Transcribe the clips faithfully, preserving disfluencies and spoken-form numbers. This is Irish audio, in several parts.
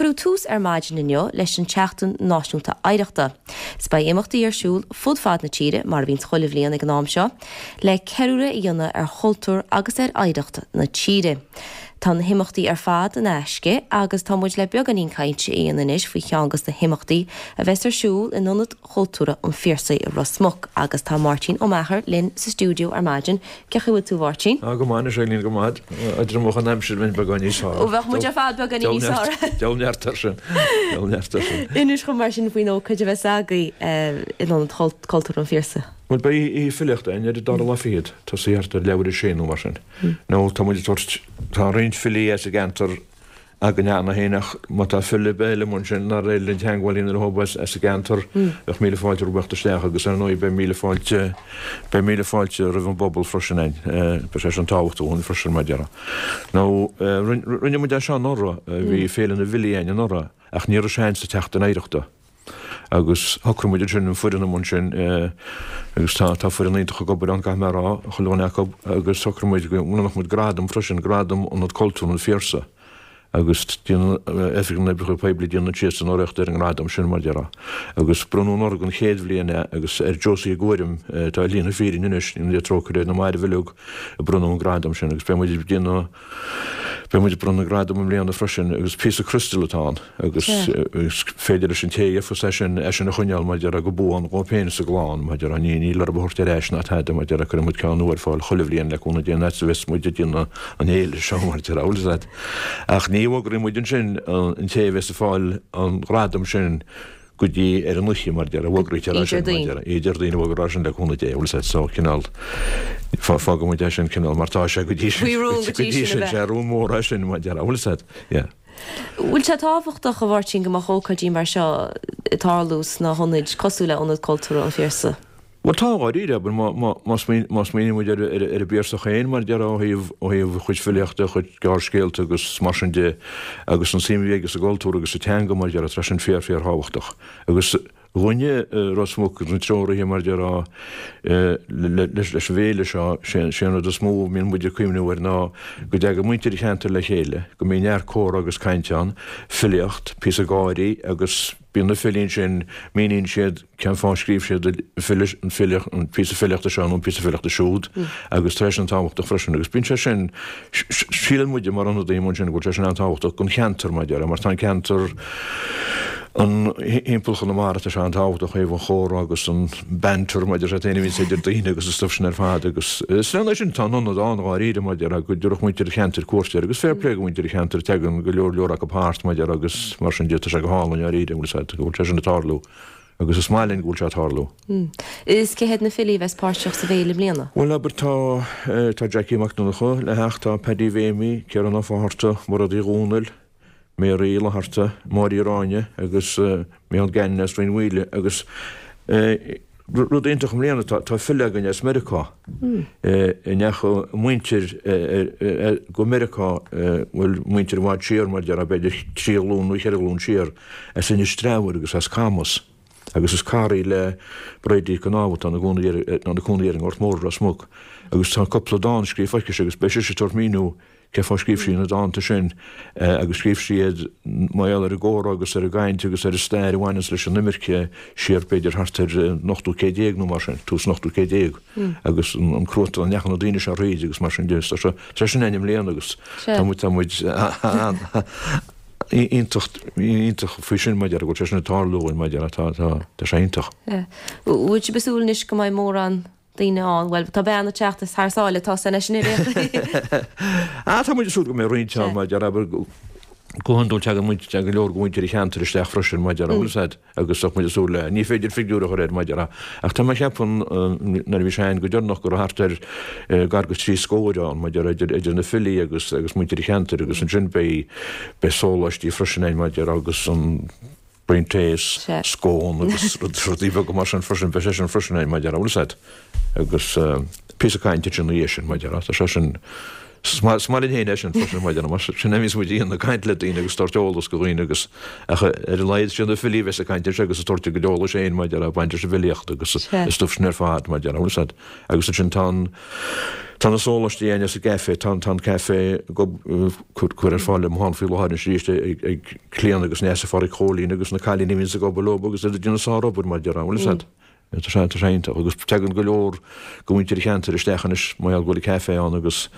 Cuireadh tús ar maidin inniu leis an tSeachtain Náisiúnta Oidhreachta. 'S beidh imeachtaí ar siúl fud fad na tíre mar a bhíonn chuile bhliain ag an am seo, le ceiliúradh a dhéanamh ar chultúr agus ar oidhreacht na tíre. Tá na himeachtaí ar fad in aisce agus tá muid le beagáinín cainte a dhéanamh anois faoi cheann de na himeachtaí a bheas ar siúl in Ionad Cultúrtha an Phiarsaigh i Ros Muc agus tá Máirtín Ó Meachair linn sa stiúideo ar maidin. Cén chaoi a bhfuil tú a Mháirtín? Á go maith anois Eileen go maith. Dá mbeadh an aimsir bheinn beagán níos fearr. Ó bheadh muid ar fad beagán níos fearr. Deabhal neart air sin. Deabhal neart air sin. Inis dhom mar sin faoin ócáid a bheas agaibh in Ionad Cultúrtha an Phiarsaigh. Bhuel beidh oíche filíochta againn ar an dara lá fichead, tosaí thart ar leathuair a sé nó mar sin. Nó tá muid ag tabhairt, tá roinnt filí as an gceantar againn cheana féin ach má tá file ar bith eile amuigh ansin nár éirigh linn teagmháil a dhéanamh leo as an gceantar, bheadh míle fáilte rompu theacht isteach agus ar ndóigh beidh míle fáilte, beidh míle fáilte roimh an bpobal freisin ann. Beidh sé sin tábhachtach dúinn freisin mar a déarfá. Nó rinne muid é seo anuraidh, bhí Féile na bhFilí againn anuraidh ach ní raibh sé againn sa tSeachtain Oidhreachta. Agus shocraigh muid ansin, an foireann amuigh ansin, agus tá, tá foireann iontach ag obair ann, caithfidh mé a rá, chuile dhuine acu, agus shocraigh muid go mbronnfadh muid gradam freisin, gradam Ionad Cultúrtha an Phiarsaigh. Agus déanann Oifig na nOibreacha Poiblí, déanann siadsan urraíocht ar an ngradam sin, mar a déarfá. Agus bronnadh anuraidh an chéad bhliain é, agus ar Josie Uí Ghuairim, atá ar shlí na fírinne anois, go ndéana Dia trócaire air, na mairbh uilig, a bronnadh an gradam sin. Agus beidh muid ag déanamh, Beidh muid ag bronnadh gradam i mbliana freisin agus píosa criostail atá ann agus is féidir leis an té a gheofas é sin é sin a choinneáil mar a déarfá go buan dhóibh féin is a gclann mar a déarfá. Ní níl orthu a thabhairt ar ais ná tada mar a déarfá cuirfidh muid ceann nua ar fáil chuile bhliain le cúnamh Dé an fhad is a bheas muid ag déanamh an fhéile seo mar a déarfá bhfuil fhios agat. Ach ní fhógraíonn muid ansin an té a bheas ag fáil an ghradam sin go dtí ar an oíche mar a déarfá, fógraítear é sin, mar a déarfá, Déardaoin a fógraítear é sin le cúnamh Dé, bhfuil fhios agat, so cineál, fágfaidh muid é sin cineál mar tá sé go dtí sin, Faoi rún go dtí sin, sé rún mór é sin mar a déarfá, bhfuil fhios agat, yeah. Bhfuil sé tábhachtach, a Mháirtín, go mbeadh ócáidí mar seo ag tarlú sna hionaid cosúil le Ionad Cultúrtha an Phiarsaigh? Bhuel tá, dháiríre, abair, má, má, má smaoin, má smaoiníonn muid ar, ar, ar an bPiarsach féin, mar a déarfá, ó thaobh, ó thaobh a chuid filíochta, a chuid gearrscéalta agus mar sin de, agus an suim a bhí aige sa gcultúr agus sa teanga, mar a déarfá, tá sin fíor, fíor thábhachtach. Agus dhúinne i Ros Muc agus na treoraithe, mar a déarfá, le, leis, leis an bhféile seo, sé, sé an rud is mó a mbíonn muid ag cuimhniú air ná go dtagann muintir an cheantair le chéile, go mbíonn neart comhrá agus cainte ann, filíocht, píosa gáirí agus bíonn na filí ansin, míníonn siad cén fáth a scríobh siad an filíocht, an píosa filíochta seo nó an píosa filíochta siúd agus tá sé sin tábhachtach freisin agus bíonn sé sin, síleann muide mar ionadaithe ansin go bhfuil sé sin an-tábhachtach don cheantar mar a déarfá mar tá an ceantar an thimpeall Chonamara tá sé an-tábhachtach ó thaobh an chomhrá agus an banter mar a déarfá féin a bhíonns idir daoine agus an stuif sin ar fad agus is lena sin tá an ionad ann dháiríre mar a déarfá go dtabharfadh muintir an cheantair cuairt air agus fair play do mhuintir an cheantair tagann go leor leor acu thart mar a déarfá agus mar sin de tá sé go hálainn dháiríre an bhfuil fhios agat go bhfuil sé sin ag tarlú agus is maith linn go bhfuil sé ag tarlú. Is cé hiad na filí a bheas páirteach sa bhféile i mbliana? Bhuel abair tá tá Jackie Mac Donncha le theacht, tá Paddy Mhéimí, Ciarán Ó Fátharta, Mairéad Uí Dhomhnaill, Mary Uí Fhlatharta, Máire Uí Ráinne agus Micheál Gannon as Rinn Mhaoile agus rud iontach i mbliana tá tá file againn as Meiriceá a ndeachaigh a muintir go Meiriceá bhuel muintir i bhfad siar mar a déarfá b'fhéidir trí ghlúin nó cheithre ghlúin siar as Inis Treabhair agus as Camas agus is cara í le Bridie Nic Con Ádhaimh atá ina cónaí ar an nGort Mór i Ros Muc agus tá cúpla dán scríofa aici agus beidh sise ag tabhairt míniú Cén fáth scríobh sí na dánta sin agus scríobh sí iad mar gheall ar an gcomhrá agus ar an gcaint agus ar an stair a bhaineanns leis an imirce siar b'fhéidir thart ar an ochtú céad déag nó mar sin, tús an ochtú céad déag agus an cruatan a ndeachaigh na daoine seo thríd agus mar sin de. Tá sé tá sé sin againn i mbliana agus tá muid tá muid iontach iontach faoi sin mar a déarfá go bhfuil sé sin ag tarlú dúinn mar a déarfá tá tá tá sé iontach. Bhfuil sibh ag súil anois go mbeidh mórán daoine ann. Bhuel, tá bean ag teacht as thar sáile, tá san eisean ar aon chaoi. Ah, tá muid ag súil go mbeidh roinnt ann, mar a déarfá, abair, go hiondúil tagann muid, tagann go leor de mhuintir an cheantair isteach freisin, mar a déarfá, bhfuil fhios a'd, agus bheadh muid ag súil le, ní féidir figiúr a chur air, mar a déarfá, ach tá mé ag ceapadh, nuair a bhí sé ann go deireanach go raibh thart ar gar go trí scór ann, mar a déarfá, idir, idir na filí agus, agus muintir an cheantair agus ansin beidh, beidh sóláistí freisin ann, mar a déarfá, agus an. braon tae, scón agus rudaí beaga mar sin freisin, beidh sé sin freisin ann, mar a déarfá, bhfuil fhios a'd, agus píosa cainte ansin ina dhiaidh sin, mar a déarfá, tá sé sin, Is maith linn féin é sin freisin mar mar sin a bhíos muid a dhéanamh, caint le daoine agus tabhairt eolas go dhaoine agus ach ar a laghad sin na filí a bheas ag caint anseo agus ag tabhairt a gcuid eolais féin maidir le baint leis an bhfilíocht agus an stuif sin ar fad mar bhfuil fhios a'd. Agus ansin tá an tá na sóláistí againn sa gcaife, tá tá an caife cur cur ar fáil le faoi láthair anois arís ag ag Clíona agus Neasa Phádraic Chóilín agus na cailíní a bhíonns ag obair leo agus iad ag déanamh sárobair mar bhfuil fhios a'd. Tá sé tá sé iontach agus tagann go leor de mhuintir an cheantair isteach anois mar gheall go bhfuil an caife ann agus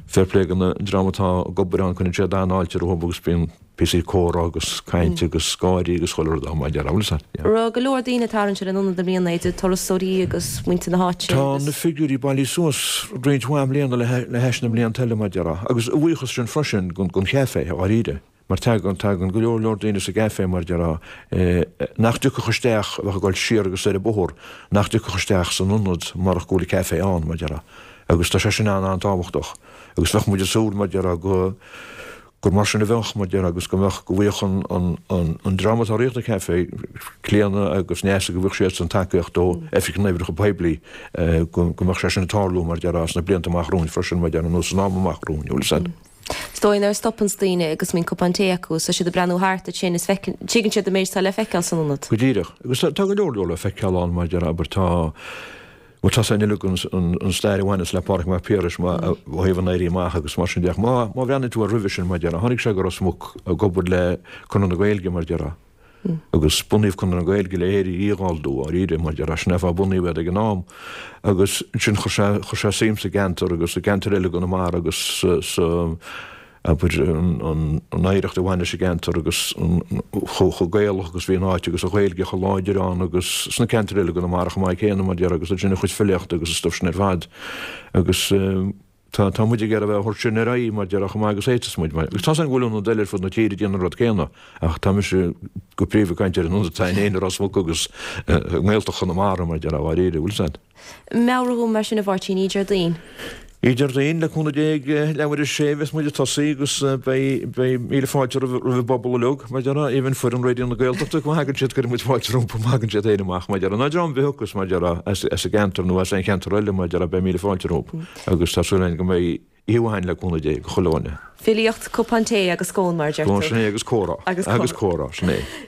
fair play don dream atá ag obair ann cuireann siad an-fháilte rompu agus bíonn píosaí comhrá agus caint agus gáirí agus chuile rud ann mar a déarfá, bhfuil fhios a'd. Raibh go leor daoine ag tarraingt ar an ionad i mbliana, idir turasóirí agus muintir na háite Tá agus. na figiúirí bailithe suas roinnt mhaith mbliana le hais na mblianta eile mar a déarfá agus a bhuíochas sin freisin don chaife, dháiríre. Mar tagann, tagann go leor leor daoine sa gcaife, mar a déarfá, nach dtiocfadh isteach, a bheadh ag dul siar agus soir an bóthar, nach dtiocfadh isteach san ionad marach go bhfuil an caife ann, mar a déarfá. Agus tá sé sin an-an-tábhachtach. Agus bheadh muid ag súil, mar a déarfá, go, gur mar sin a bheadh, mar a déarfá, agus go mbeadh, go bhfaigheadh an, an, an, an dream atá ag rith an caife, Clíona agus Neasa, go bhfaigheadh siadsan tacaíocht ó Oifig na nOibreacha Poiblí, go, go mbeadh sé sin ag tarlú, mar a déarfá, sna blianta amach romhainn freisin, mar a déarfá, nó san am amach romhainn, bhfuil fhios a'd. Is dóigh nuair a stopanns daoine agus mbíonn cupán tae acu is tá siad ag breathnú thart ansin is feiceann, tuigeann siad an méid atá le feiceáil san ionad. Go díreach. Agus tá go leor leor le feiceáil ann mar a déarfá, abair tá, bhuel tá san uilig an stair a bhaineas le Pádraig Mac Piarais má, ó thaobh an Éirí Amach agus mar sin de ach má, má bhreathnaíonn tú air roimhe sin mar a déarfá, tháinig sé go Ros Muc ag obair le Conradh na Gaeilge mar a déarfá. Agus bunaíodh Conradh na Gaeilge le hÉire a dhíghalldú, dháiríre, mar a déarfá, sin é an fáth a bunaíodh iad ag an am. Agus ansin chuir sé, chuir sé suim sa gceantar agus i gceantair eile i gConamara agus sa, sa, abair, an, an, an oidhreacht a bhain leis an gceantar agus an, chomh, chomh Gaelach agus bhí an áit agus an Ghaeilge chomh láidir ann agus sna ceantair eile i gConamara chomh maith céanna, mar a déarfá, agus ansin a chuid filíochta agus an stuif sin ar fad. Agus. Tá, tá muid ag iarraidh a bheith á thabhairt sin ar aghaidh, mar a déarfá, chomh maith agus a fhéadfas muid. Agus tá's agam go bhfuil ionaid eile ar fud na tíre ag déanamh an rud céanna, ach tá mise go príomha ag caint ar an ionad atá againn féin i Ros Muc agus i nGaeltacht Chonamara, mar a déarfá, dháiríre, bhfuil 'fhios a'd. Meabhraigh dhom mar sin a Mháirtín, oíche Déardaoin. Oíche Déardaoin, le cúnamh Dé, ag leathuair a sé a bheas muid ag tosaí agus beidh, beidh míle fáilte roimh, roimh an bpobal uilig, mar a déarfá, even foireann Raidió na Gaeltachta, má thagann siad, cuirfidh muid fáilte rompu má thagann siad féin amach, mar a déarfá, nó dream ar bith a thiocfas, mar a déarfá, as, as an gceantar nó as aon cheantar eile, mar a déarfá, beidh míle fáilte rompu. Agus tá súil againn go mbeidh oíche mhaith againn le cúnamh Dé, go chuile dhuine. Filíocht, cupán tae agus scón mar a deir Scón, tú. sin é, agus comhrá. Agus Agus comhrá, sin é.